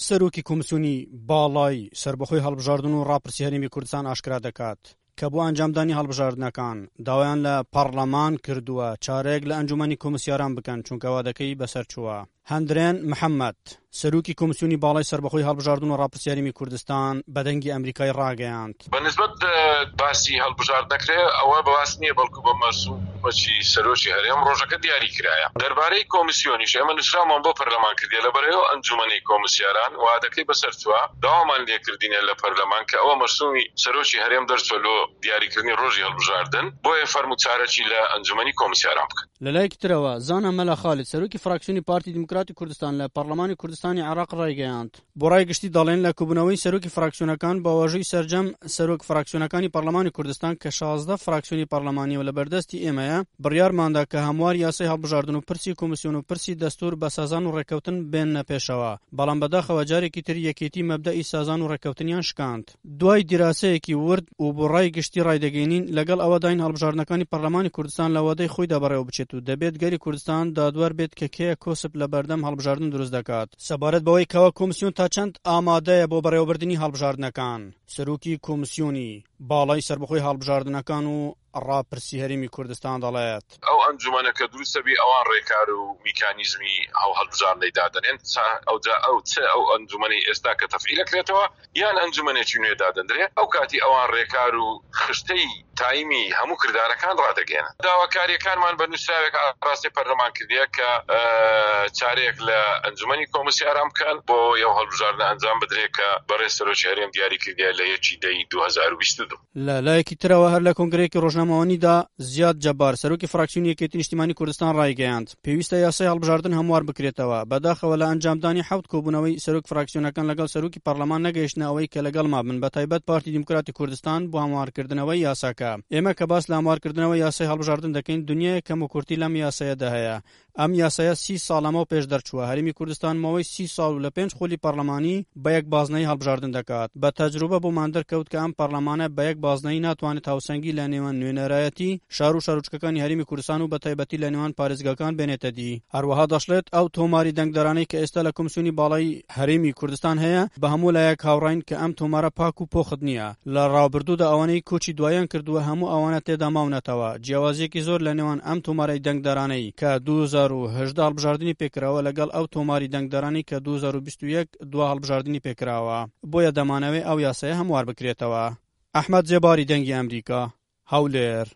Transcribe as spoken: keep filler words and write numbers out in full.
سەرۆکی کۆمسیۆنی باڵای سەربەخۆی هەڵبژاردن و ڕاپرسی هەرێمی کوردستان ئاشکرا دەکات کە بۆ ئەنجامدانی هەڵبژاردنەکان داوایان لە پەڕلەمان کردووە چارەیەک لە ئەنجومەنی کۆمسیاران بکەن، چونکە وادەکەی بەسەر چووە. هەندرێن محەممەد، سەرۆکی کۆمسیۆنی باڵای سەربەخۆی هەڵبژاردن و ڕاپرسی هەرێمی کوردستان بە دەنگی ئەمریکای ڕاگەیاند، بە نسبەت باسی هەڵبژاردنەکرێ ئەوە باس نییە، بەڵکو بە مەرسومەکی سەرۆکی هەرێم ڕۆژەکە دیاری کرایە. دەربارەی کۆمسیۆنیش ئێمە نووسراومان بۆ پەرلەمان کردیە، لەبەرەوە ئەنجومەنی کۆمسیاران وادەکەی بەسەر چووە، داوامان لێکردینە لە پەرلەمان کە ئەوە مەرسومی سەرۆکی هەرێم دەرچوە لۆ دیاریکردنی ڕۆژی هەڵبژاردن، بۆیە فەرموو چارەکی لە ئەنجومەنی کۆمسیاران بکەن. لەلایەکی ترەوە زانا مەلا خالید سەرۆکی فراکسیۆنی پارتی دیموکراتی کوردستان لە پەرلەمانی کوردستانی عێراق ڕایگەیاند، بۆ ڕای گشتی دەڵێن لە کۆبوونەوەی سەرۆکی فراکسیۆنەکان بە واژووی سەرجەم سەرۆک فراکسیۆنەکانی پەرلەمانی کوردستان کە شازدە فراکسیۆنی پەرلەمانیە و لەبەردەستی ئێمەیە، بڕیارماندا کە هەموار یاسای هەڵبژاردن و پرسی کۆمیسیۆن و پرسی دەستور بە سازان و ڕێککەوتن بێننە پێشەوە، بەڵام بەداخەوە جارێکی تر یەکێتی مەبدەئی سازان و ڕێککەوتنیان شکاند. دوای دیراسەیەکی ورد و بۆ ڕای گشتی ڕایدەگەینین، لەگەڵ ئەوەداین هەڵبژاردنەکانی پەرلەمانی کوردستان لە وادەی خۆیدا بەڕێوە بچێت و دەبێت گەلی کوردستان دادوەر بێت کە کێ کۆسپ لە بەردەم هەڵبژاردن دروست دەکات. سەبارەت بەوەی کەوا کۆمسیۆن تا چەند ئامادەیە بۆ بەڕێوەبردنی هەڵبژاردنەکان، سەرۆکی کۆمسیۆنی باڵای سەربەخۆی هەڵبژاردنەکان و ڕاپرسی هەرێمی کوردستان دەڵێت، ئەو ئەنجومەنە کە دروستە بی ئەوان ڕێکار و میکانیزمی ئەو هەڵبژاردنەی دادەنێن، ئەوجا ئەو چ ئەو ئەنجومەنەی ئێستا کە تەفعیل کرێتەوە یان ئەنجومەنێکی نوێ دادەندرێ، ئەو کاتی ئەوان ڕێکار و خشتەی تایمی هەموو کردارەکان ڕادەگەێنن. داواکاریەکانمان بە نووسراوێک ئاراستەی پەرلەمان کردیە کە چارەیەک لە ئەنجومەنی کۆمسیاران بکەن بۆ ئەو هەڵبژاردنە ئەنجام بدرێت کە بەڕێز سەرۆکی هەرێم دیاری کردیە لە یەکی دەی دوو هەزار و بیست و دوو. لە لایەکی ترەوە هەر لە کۆنگرەیەکی ڕۆژنامەوانیدا زیاد جەبار سەرۆکی فراکسیۆنی یەکێتی نیشتیمانی کوردستان ڕایگەیاند، پێویستە یاسای هەڵبژاردن هەموار بکرێتەوە. بەداخەوە لە ئەنجامدانی حەوت کۆبوونەوەی سەرۆک فراکسیۆنەکان لەگەڵ سەرۆکی پەرلەمان نەگەیشتنە ئەوەی کە لەگەڵما بن، بە تایبەت پارتی دیموکراتی کوردستان بۆ هەموارکردنەوەی یاساکە. ئێمە کە باس لە هەموارکردنەوەی یاسای هەڵبژاردن دەکەین، دنیایەک کەم و کورتی لەم یاسایەدا هەیە. ئەم یاسایە سی ساڵ لەمەو پێش دەرچووە. هەرێمی کوردستان ماوەی سی ساڵ و لە پێنج خولی پەرلەمانی بە یەک بازنەی هەڵبژاردن دەکات. بە تەجروبە بۆمان دەرکەوت کە ئەم پەرلەمانە بە یەک بازنەی ناتوانێت هاوسەنگی لە نێوان نوێنەرایەتی شار و شارۆچکەکانی هەرێمی کوردستان و بە تایبەتی لە نێوان پارێزگاکان بێنێتە دی. هەروەها دەشڵێت، ئەو تۆماری دەنگدەرانەی کە ئێستا لە کۆمسیۆنی باڵای هەرێمی کوردستان هەیە بە هەموو لایەک هاوڕاین کە ئەم تۆمارە پاک و پۆخت نییە. لە ڕابردوودا ئەوانەی کۆچی دوایان کردووە هەموو ئەوانە تێدا ماونەتەوە. جیاوازیەکی زۆر لە نێوان ئەم تۆمارەی دەنگدەرانەی کە دوو هەزار و هەژدە هەڵبژاردنی پێکراوە لەگەڵ ئەو تۆماری دەنگدەرانی کە دوو هەزار و بیست و یەک دوا هەڵبژاردنی پێکراوە، بۆیە دەمانەوێ ئەو یاسایە هەموار بکرێتەوە. ئەحمەد زێباری، دەنگی ئەمریکا، هەولێر.